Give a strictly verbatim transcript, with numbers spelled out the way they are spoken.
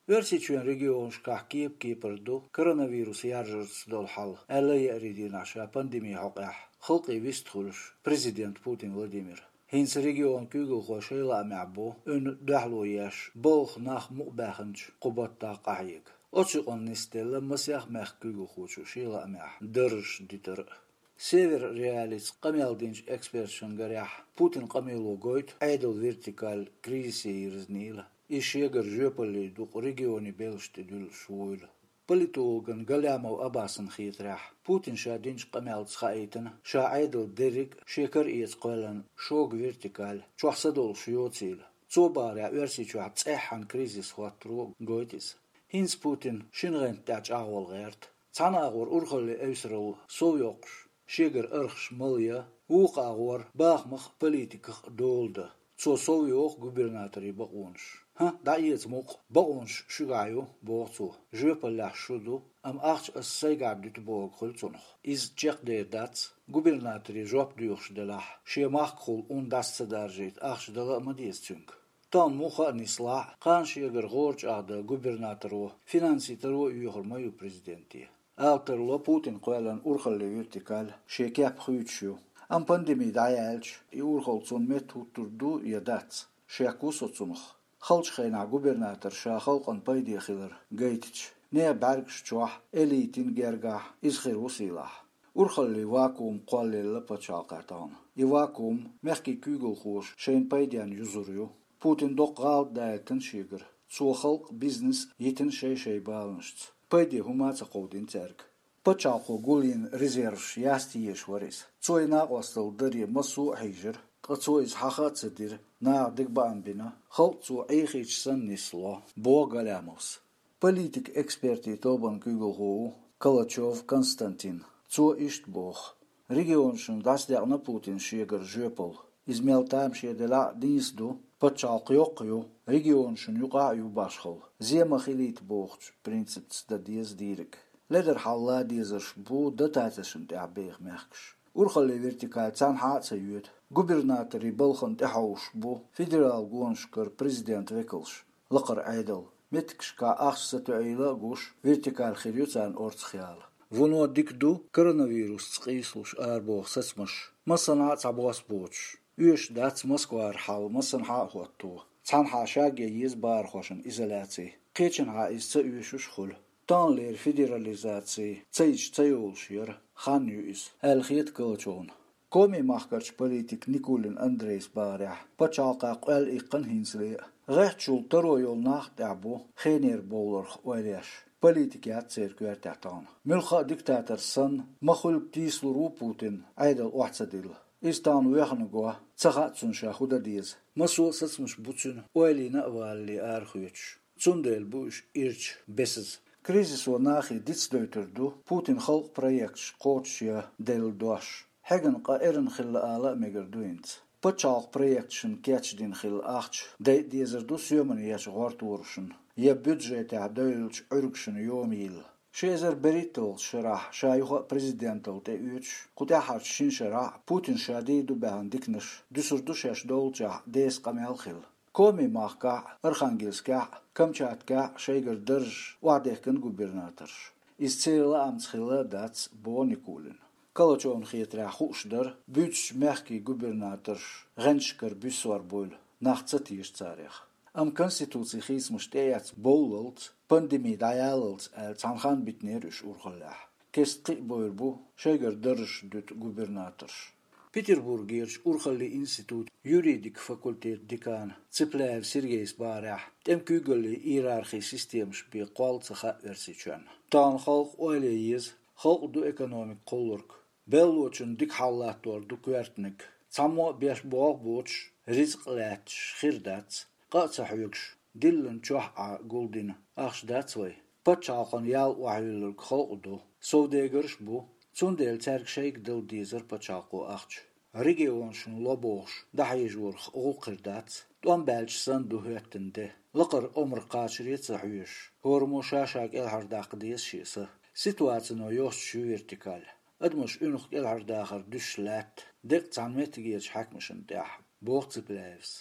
Оьрсийчоьнан регионашкахь кеп-кепара ду коронавирус яржарца долу хьал, аьлла, еарин дийнахь ша пандеми хьокъехь халкъе вистхуьлуш президент Путин Владимир. ХӀинца регионан куьйгалхой шайн лаамехь бу, уьнна дуьхьало еш, балха нах мукъабаьхначу кху баттахь къахьега. Оцу юкъанна нисделла масех мехкан куьйгалхочо шен лаамехь даржаш дитар а. Север Реалица къамел динчу эксперташна гарехь, Путинан къамело гойту Ӏедалан вертикаль кризисе йирзинийла, иза шегара жоьпалле дукъу регионийн белшаш тӀе дуьллуш вуйла. Политологна Галямов Аббасна хетарехь, Путина ша динчу къамелца хаийтина, ша Ӏедал дерриг а шен кара эца кхоьллина шога вертикаль чохь са долуш йоцийла. Цо бахарехь, Оьрсийчохь цӀеххьана кризис хӀоттаро гойту иза. ХӀинца Путина шина гӀанта тӀехь чӀагӀвала гӀерта. Цхьана агӀор урхалле эвсаралла сов йоккхуш, шегара архаш мала ян, вукху агӀор бахамах а, политиках а дола дан. Цо сов йоху губернаторийн бакъонаш. ХӀан, дӀаэца мукъа, бакъонаш шуьгахь ю, боху цо. Жоьпаллехь шу ду, амма ахча ас сайгахь дуьту бохург хуьлу цунах. Иза чекхдер дац, губернаторе жоп доьхуш делахь, шен махкахула ун дӀаса ца даржийта ахча дала а ма деза цуьнга. Тахана муха а нислахь, кхана шегара гӀора чӀагӀдан губернаторо финансийн таро а йоьхур ма ю президенте. Ала тарло Путина кхоьллина урхалле вертикаль шен кеп хуьйцуш ю. Амма пандеми дӀаяьлча, и урхалла цунна метта хӀуттур ду я дац, шек ву со цунах. Халчу хенахь губернатор ша халкъана пайде хилар гайтича, нехан бӀаьргаш чохь, элитин гергахь иза хир ву сийлахь. Урхаллин вакуум кхоллаелла пачхьалкхехь тахана. И вакуум мехкийн куьйгалхоша шайна пайденна юзур ю. Путина доккха гӀалат даийтина шегара. Цо халкъ, бизнес йитина шай-шай баланашца. Пайде хӀума а ца кховдийна цаьрга. Пачхьалкхо гулйина резерваш яста езаш вара иза. Цо и накъосталла даре массо а хьийжира, ткъа цо иза хьаха а ца дира, наха дика баам бина, халкъ цо Ӏехийча санна нисло, боху Галямовс. Политик-экспертийн тобанан куьйгалхо ву Калачев Константин. Цо иштта боху: регионашна дӀасадекъна Путина шегара жоьпалла. Иза мел тамашийна делахь а, нийса ду, пачхьалкх йоккха ю, регионашна юкъахь а ю башхалла. Зен ма хилийта бохучу принципца дан деза дийриг. Ледара хьал лан дезарш бу дотацешна тӀехь беха мехкаш. Урхаллин вертикаль цхьанхьа а ца йоьду. Губернаторийн балхана тӀехьовсуш бу федералан гонашкара президентан векалш, лакхара Ӏедал. Меттигашкахь ахча сатоьийла а гуш, вертикаль хир ю царна орцах яла. Вуно дика ду коронавирусца къийсалуш арабоху сацамаш, массанхьа а цхьабосса боцуш. Оьшуш дац Москвара хьал массанхьа а хӀотто. Цхьанхьа шаге еза бахархошна изоляци, кхечанхьа иза ца оьшуш а хуьлу. Таханлера федерализаци ца йича ца йолуш яра, хан ю иза, аьлла хета Калачевна. Коми махкарчу политика Никулин Андрейс бахарехь, пачхьалкхехь къоьлла иккхина хӀинцале а. ГӀеххьачул таро йолу нах а тӀехь бу хенера бовларх ойла еш. Политика яц церан коьртехь тахана. Муьлхха а диктатор санна, ма хуьллу тийсалур ву Путин, Ӏедал охьа ца дилла. Иза тахана воьхна го, ца хаьа цунна ша хӀун дан деза. Массо а сацамаш бу цуьнан ойла йина а валале арахоьцуш. Цундела бу уьш ирча, бесаза. Кризисо нахе дицдойтур ду Путина халкъан проекташ кхочушъян делла дош. Хьегна къа эрна хилла ала а мегар ду хӀинца. Пачхьалкхан проекташна кечдина хилла ахча дайа дезар ду соьман ечу гӀорторашна я бюджетехь девллачу Ӏуьргашна йома йилла. Ши эзар берхӀитталгӀачу шарахь ша юха а президенталла тӀеоьцуш, кху тӀаьххьарчу шина шарахь а Путина ша дийр ду баьхна диканаш дуьсур ду шаьш доллучохь деса къамел а хилла. Коми махкахь а, Архангельскехь а, Камчаткехь а шайгара даржаш охьадехкина губернаторша. Иза церан лаамца хилла а дац, боху Никулина. Калачевна хетарехь хууш дара, буьйцучу мехкийн губернаторш гӀенташкара буьссор буйла, нах ца теша царех. Амма конституцин хийцамаш тӀеэцна бовллалц, пандеми дӀаяллалц аьлла цхьана ханна битинера уьш урхаллехь. Кеста кхин а бовр бу шайгара даржаш дуьту губернаторш. Петербургерчу урхаллин институтан юридикан факультетан декана Цыпляев Сергейс бахарехь, тӀеман куьйгаллин иерархин системаш бен кхолла ца хаьа Оьрсийчоьнна. Тахана халкъ ойла ян еза, халкъан ду экономика кхуллург. Беллочунна дика хьал латтор ду коьртаниг. Цхьаммо а беш болх боцуш, рицкъ лаьтташ хир дац, къа а ца хьоьгуш, диллина чохь Ӏа гулдина ахча дац вай. Пачхьалкхана ял охьаюьллург халкъ ду, совдегарш а бу, цундела цаьрга шайга дала дезара пачхьалкхо ахча. Регионашна ло бохуш, дӀахьежорах гӀуллакх хир дац, тӀом баьлча санна ду хӀоьттина де. Лакхара омра кхачаре а ца хьоьжуш, хӀораммо ша-ша кӀелхьардаккха деза шен са. Ситуацино йостуш ю вертикаль. Адамаш уьнах кӀелхьардахар дуьсуш лаьтта деккъа цхьана меттигерчу хьаькамашна тӀехь, боху Цыпляевс.